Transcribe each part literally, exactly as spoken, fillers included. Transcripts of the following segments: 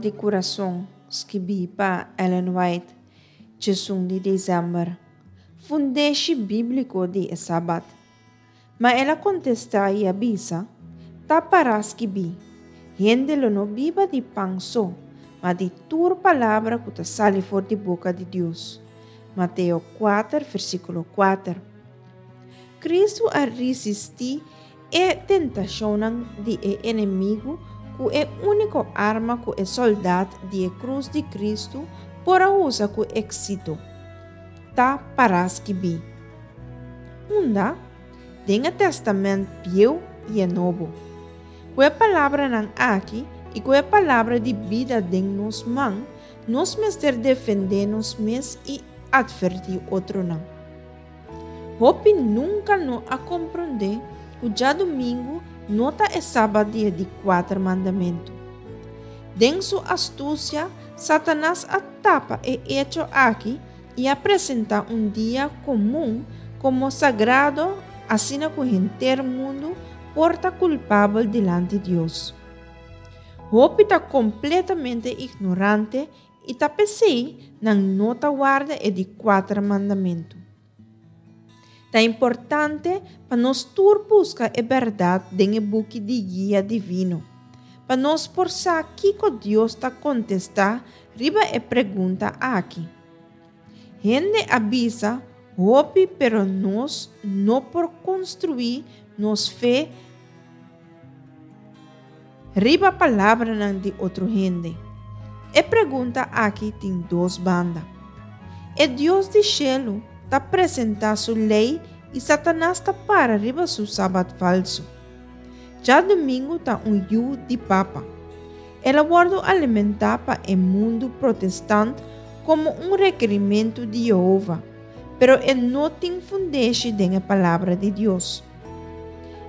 di Kurason, skibí pa Ellen White, diesun di desèmber. Fundeshi bíbliko di e Sabat. Ma el a kontestá i a bisa, Ta pará skibí, Hende lo no biba di pan so, ma di tur palabra ku ta sali for di boka di Dios. Mateo kuater, versíkulo kuater. Kristu a resistí e tentashonnan di e enemigu ku e úniko arma ku e sòldat di e krus di Kristu por a usa ku éksito, Ta pará skibí. Unda? Den e Tèstamènt Bieu i e Nobo. Ku e palabranan aki i ku e palabra di bida den nos man, nos mester defendé nos mes i atvertí otronan. Hopi nunka no a komprondé ku djadumingu no ta e Sabat di e di kuater mandamentu. Den su astusia, Satanas a tapa e echo aki i a presentá un dia komun komo sagrado asina ku henter mundu por ta kulpabel dilanti Dios. Hopi ta kompletamente ignorante i ta p'esei nan no ta warda e di kuater mandamentu. Ta importante pa nos tur buska e bèrdat den e buki di guia divino, pa nos por sa kiko Dios ta kontestá riba e pregunta aki. Hende a bisa hopi pero nos no por konstruí nos fe riba palabranan di otro hende. E pregunta aki tin dos banda. E Dios di shelu ta presentá su lei i Satanas ta para riba su sabat falsu. Djadumingu ta un yu di papa. El a wòrdu alimentá pa e mundu protestant komo un rekerimentu di Yehova, pero e no tin fundeshi den e Palabra di Dios.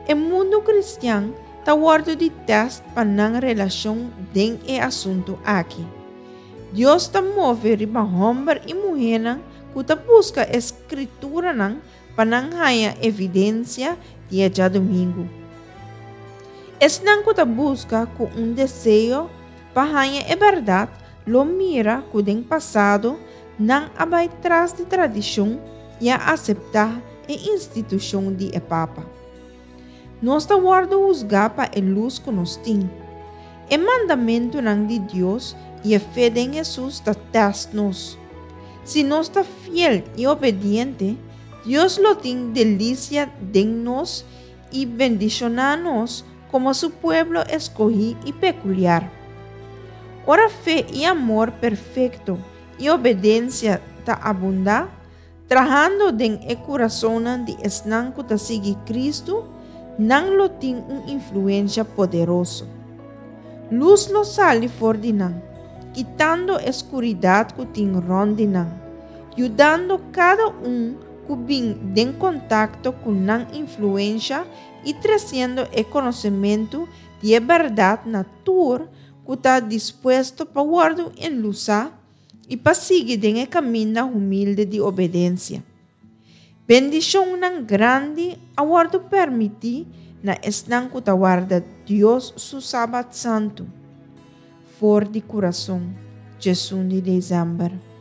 E mundu kristian ta wòrdu di tèst pa nan relashon den e asuntu aki. Dios ta move riba hòmber i muhénan ku ta buska e Skrituranan pa nan haña evidensia di e djadumingu. Esnan ku ta buska ku un deseo pa haña e bèrdat lo mira ku den pasado nan a bai tras di tradishon i a aseptá e institushon di e papa. Nos ta wòrdu husgá pa e lus ku nos tin. E mandamentunan di Dios i e fe den Hesus ta tèst nos. Si nos ta fiel i obediente, Dios lo tin delisia den nos i bendishoná nos komo su pueblo eskohí i pekuliar. Ora fe i amor perfekto i obedensia ta abundá, trahando den e kurasonnan di esnan ku ta sigui Kristu, nan lo tin un influensia poderoso. Lus lo sali for di nan, kitando e skuridat ku tin rònt di nan, yudando kada un ku bin den kontakto ku nan influensha i tresiendo e konosementu di e bèrdat na tur ku ta dispuesto pa wòrdu enlusá i pa sigui den e kaminda humilde di obedensia. Bendishonnan grandi a wòrdu permití na esnan ku ta warda Dios su Sabat santu. For di kurason, diesun di desèmber.